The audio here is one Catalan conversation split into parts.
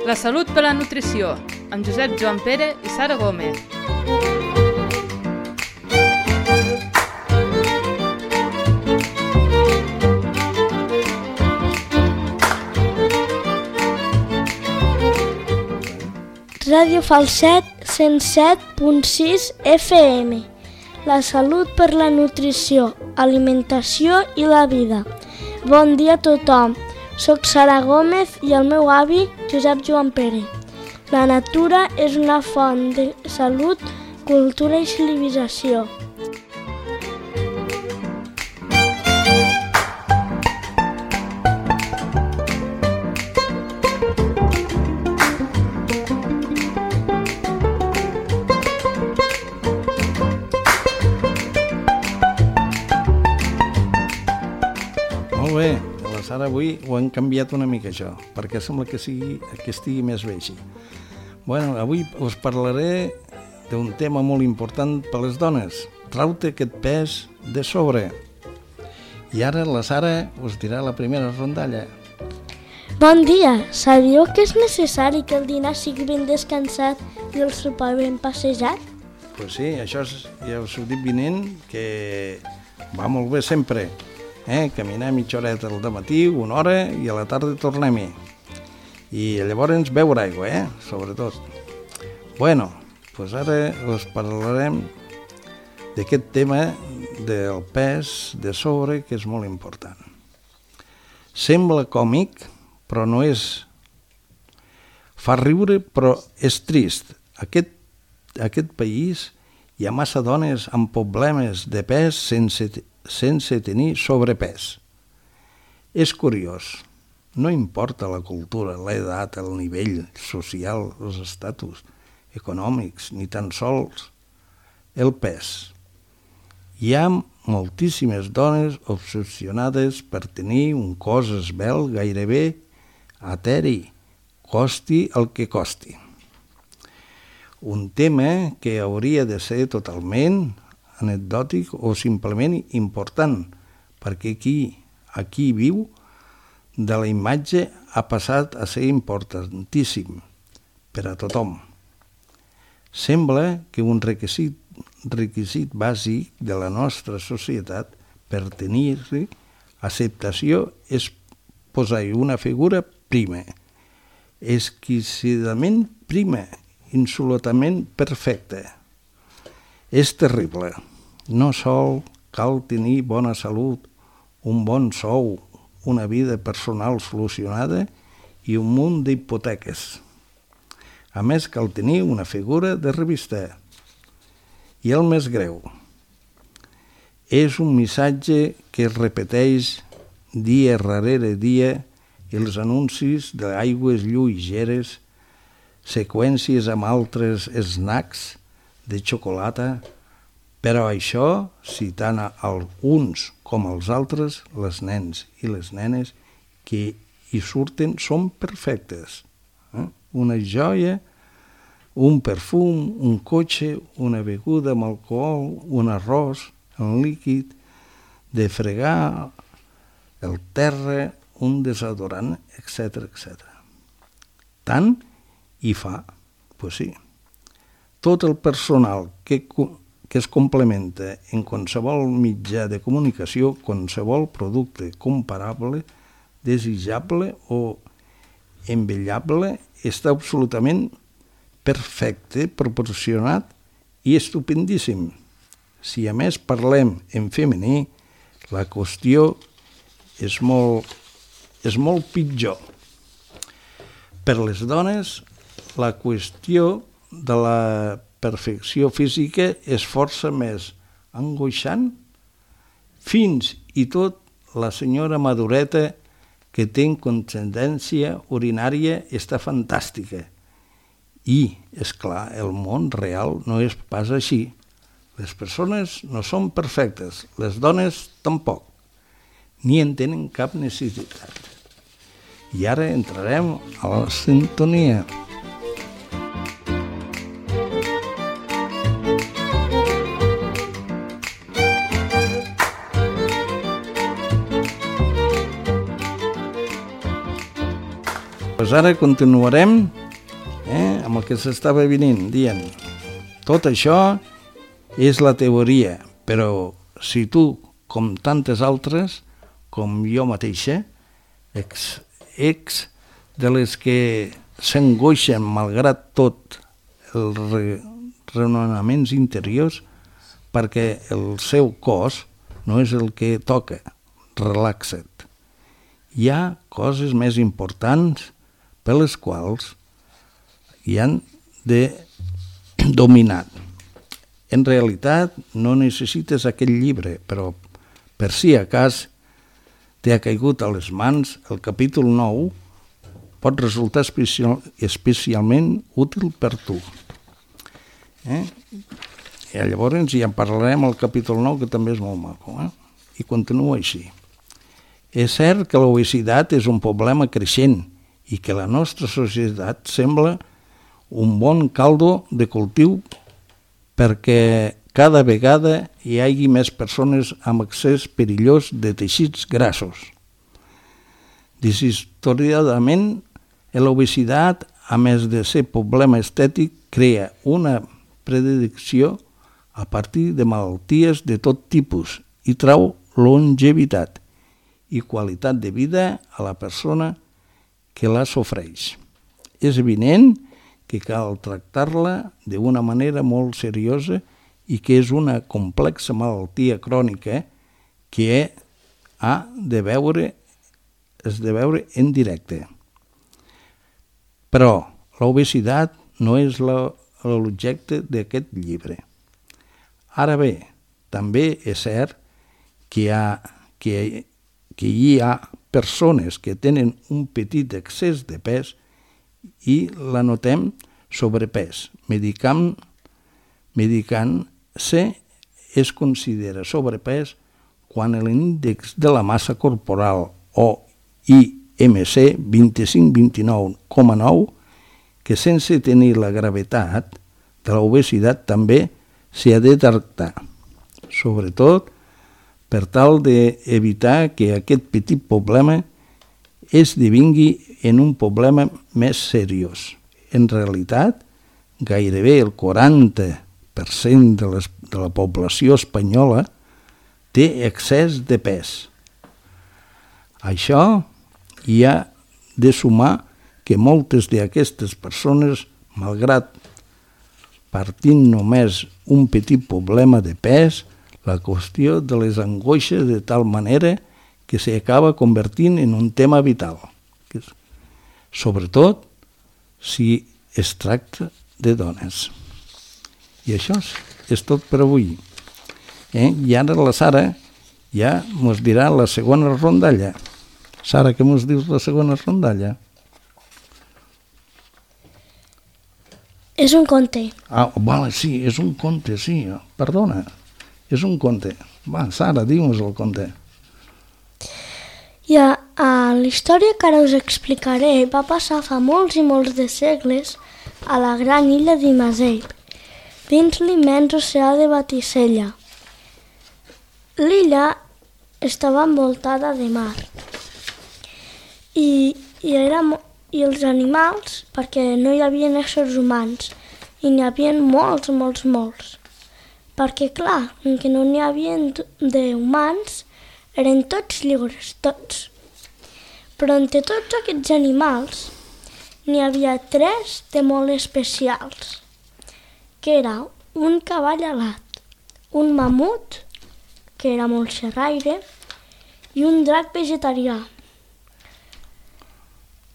La salut per la nutrició, amb Josep Joan Pere i Sara Gómez. Ràdio Falset 107.6 FM. La salut per la nutrició, alimentació i la vida. Bon dia a tothom. Soc Sara Gómez i el meu avi, Josep Joan Pere. La natura és una font de salut, cultura i civilització. Molt bé. Ara avui ho han canviat una mica això, perquè sembla que estigui més bé així. Bueno, avui us parlaré d'un tema molt important per a les dones. Trau-te aquest pes de sobre. I ara la Sara us dirà la primera rondalla. Bon dia! Sabíeu que és necessari que el dinar sigui ben descansat i el sopar ben passejat? Pues sí, això ja us ho dic vinent, que va molt bé sempre. Caminar mitja horeta al matí, una hora, i a la tarda tornem-hi. I llavors beure aigua, sobretot. Bueno, doncs ara us parlarem d'aquest tema del pes de sobre, que és molt important. Sembla còmic, però no és. Fa riure, però és trist. Aquest país hi ha massa dones amb problemes de pes sense tenir sobrepès. És curiós, no importa la cultura, l'edat, el nivell social, els estatus econòmics, ni tan sols el pes. Hi ha moltíssimes dones obsessionades per tenir un cos esvelt gairebé eteri, costi el que costi. Un tema que hauria de ser totalment anecdòtic o simplement important, perquè aquí viu de la imatge ha passat a ser importantíssim per a tothom. Sembla que un requisit bàsic de la nostra societat per tenir-hi acceptació és posar-hi una figura prima, exquisidament prima, insolutament perfecta. És terrible. No sol cal tenir bona salut, un bon sou, una vida personal solucionada i un munt d'hipoteques. A més, cal tenir una figura de revista. I el més greu, és un missatge que es repeteix dia darrere dia i els anuncis d'aigües lleugeres, seqüències amb altres snacks, de xocolata, però això, citant els uns com els altres, les nens i les nenes que hi surten són perfectes. Una joia, un perfum, un cotxe, una beguda amb alcohol, un arròs, un líquid, de fregar el terra, un desodorant, etc. Tant hi fa, doncs sí. Tot el personal que es complementa en qualsevol mitjà de comunicació, qualsevol producte comparable, desitjable o envellable, està absolutament perfecte, proporcionat i estupendíssim. Si a més parlem en femení, la qüestió és molt pitjor. Per les dones, la qüestió de la perfecció física és força més angoixant, fins i tot la senyora madureta que té incontinència urinària està fantàstica. I, és clar, el món real no és pas així. Les persones no són perfectes, les dones tampoc, ni en tenen cap necessitat. I ara entrarem a la sintonia. Pues ara continuarem amb el que s'estava dient. Tot això és la teoria, però si tu, com tantes altres, com jo mateixa, ets de les que s'angoixen malgrat tot els raonaments interiors perquè el seu cos no és el que toca, relaxa't. Hi ha coses més importants per les quals hi han de dominar. En realitat no necessites aquell llibre, però per si a cas t'ha caigut a les mans el capítol 9 pot resultar especialment útil per tu. I llavors ja en parlarem al capítol 9, que també és molt maco. I continua així. És cert que l'obesitat és un problema creixent i que la nostra societat sembla un bon caldo de cultiu perquè cada vegada hi hagi més persones amb excés perillós de teixits grassos. Deshistoriadament, l'obesitat, a més de ser problema estètic, crea una predicció a partir de malalties de tot tipus i trau longevitat i qualitat de vida a la persona que la sofreix. És evident que cal tractar-la d'una manera molt seriosa i que és una complexa malaltia crònica que es de veure en directe. Però l'obesitat no és l'objecte d'aquest llibre. Ara bé, també és cert que hi ha persones que tenen un petit excés de pes i la notem sobrepès. Medicant-se es considera sobrepès quan l'índex de la massa corporal o IMC 25-29,9, que sense tenir la gravetat de l'obesitat també s'ha de tractar, sobretot per tal d'evitar que aquest petit problema esdevingui en un problema més seriós. En realitat, gairebé el 40% de la població espanyola té excés de pes. Això hi ha de sumar que moltes d'aquestes persones, malgrat partint només un petit problema de pes, la qüestió de les angoixes de tal manera que s'acaba convertint en un tema vital, sobretot si es tracta de dones. I això és tot per avui. I ara la Sara ja ens dirà la segona rondalla. Sara, què ens dius la segona rondalla? És un conte. Vale, sí, és un conte, sí. Perdona, és un conte. Va, Sara, diu-nos el conte. La història que ara us explicaré va passar fa molts i molts de segles a la gran illa d'Imazep, dins l'immens oceà de Batisella. L'illa estava envoltada de mar i els animals, perquè no hi havia éssers humans, i n'hi havia molts, perquè clar, que no n'hi havia d'humans, eren tots lliures, tots. Però entre tots aquests animals n'hi havia 3 de molt especials, que era un cavall alat, un mamut, que era molt xerraire, i un drac vegetarià.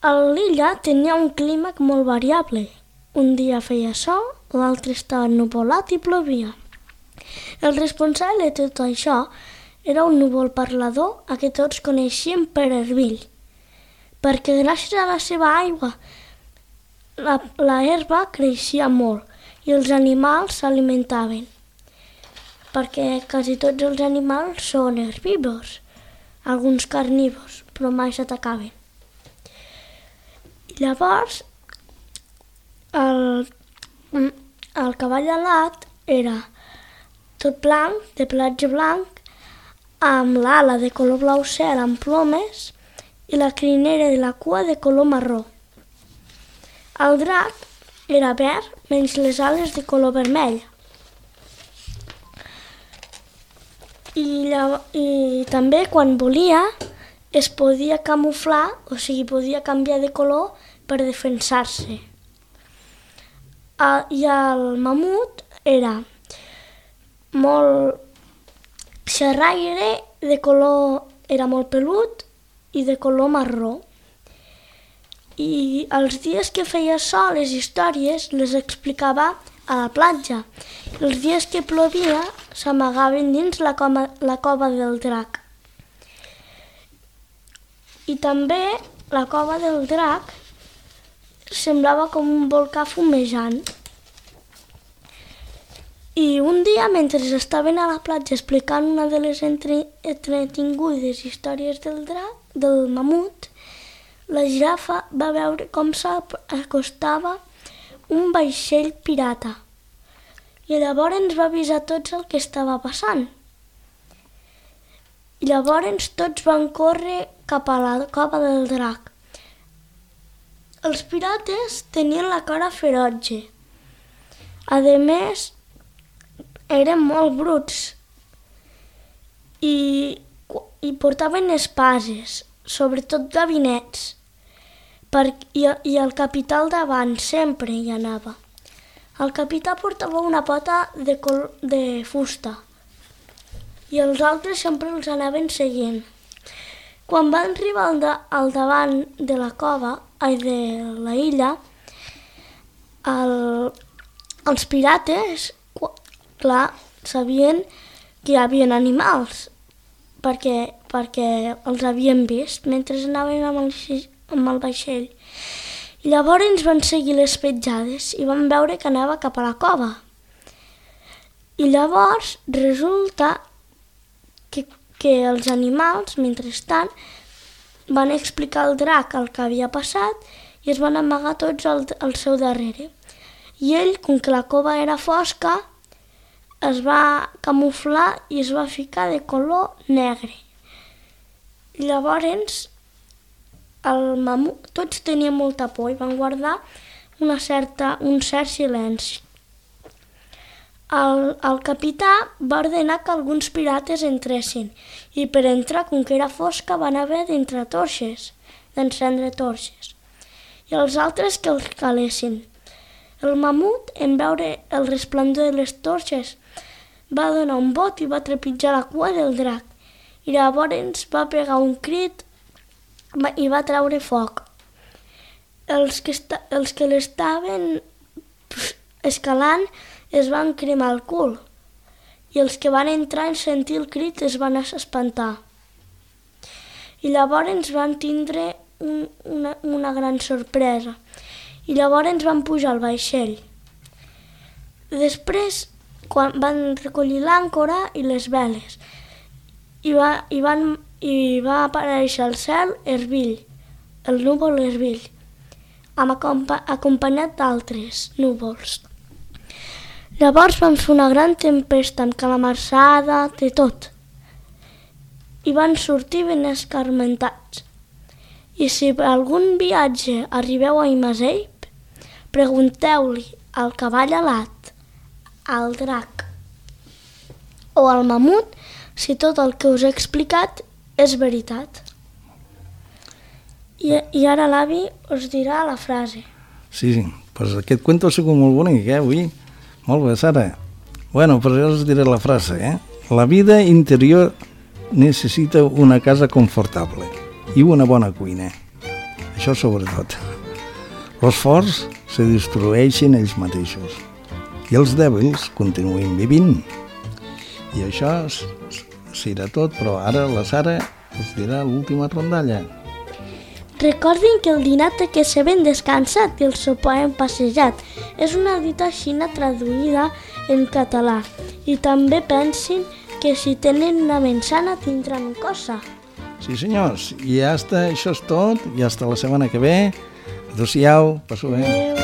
L'illa tenia un clima molt variable. Un dia feia sol, l'altre estava ennuvolat i plovia. El responsable de tot això era un núvol parlador a què tots coneixien per Herbill, perquè gràcies a la seva aigua la herba creixia molt i els animals s'alimentaven, perquè quasi tots els animals són herbívors, alguns carnívors, però mai s'atacaven. Llavors, el cavall alat era tot blanc, de pelatge blanc, amb l'ala de color blau cel amb plomes i la crinera de la cua de color marró. El drac era verd, menys les ales de color vermell. I també quan volia es podia camuflar, o sigui, podia canviar de color per defensar-se. I el mamut era molt xerraire, era molt pelut i de color marró. I els dies que feia sol les històries les explicava a la platja. Els dies que plovia s'amagaven dins la cova del drac. I també la cova del drac semblava com un volcà fumejant. I un dia, mentre estaven a la platja explicant una de les entretingudes històries del mamut, la girafa va veure com s'acostava un vaixell pirata i llavors va avisar tots el que estava passant. I llavors tots van córrer cap a la cova del drac. Els pirates tenien la cara ferotge. A més, eren molt bruts i portaven espases, sobretot gavinets. I el capità al davant sempre hi anava. El capità portava una pota de fusta i els altres sempre els anaven seguint. Quan van arribar al davant de la cova, de la illa, els pirates, clar, sabien que hi havia animals perquè els havien vist mentre anaven amb el vaixell. I llavors van seguir les petjades i van veure que anava cap a la cova. I llavors resulta que els animals, mentrestant, van explicar al drac el que havia passat i es van amagar tots al seu darrere. I ell, com que la cova era fosca, es va camuflar i es va ficar de color negre. I llavors tots tenien molta por i van guardar un cert silenci. El capità va ordenar que alguns pirates entressin i per entrar, com que era fosca, van haver d'encendre torxes i els altres que els calessin. El mamut, en veure el resplendor de les torxes, va donar un bot i va trepitjar la cua del drac i llavors va pegar un crit i va treure foc. Els que l'estaven escalant es van cremar el cul i els que van entrar en sentir el crit es van espantar. I llavors van tindre una gran sorpresa i llavors van pujar al vaixell. Després van recollir l'àncora i les veles i va aparèixer al cel Erbil, el núvol Erbil, acompanyat d'altres núvols. Llavors van fer una gran tempesta amb calamarsada, de tot, i van sortir ben escarmentats. I si per algun viatge arribeu a Imazeip, pregunteu-li al cavall alat, al drac o al mamut si tot el que us he explicat és veritat. I ara l'avi us dirà la frase. Sí, pues aquest cuento ha sigut molt bonic, avui. Molt bé, Sara. Bueno, pues jo us diré la frase, La vida interior necessita una casa confortable i una bona cuina. Això sobretot. Els forts se destrueixen ells mateixos i els dèbils continuen vivint. I això serà tot, però ara la Sara us dirà l'última rondalla. Recordin que el dinar té que ser ben descansat i el sopar hem passejat. És una dita xina traduïda en català. I també pensin que si tenen una ment sana tindran cosa. Sí, senyors, i ja està, això és tot, i hasta la setmana que ve. Adéu-siau, passeu bé.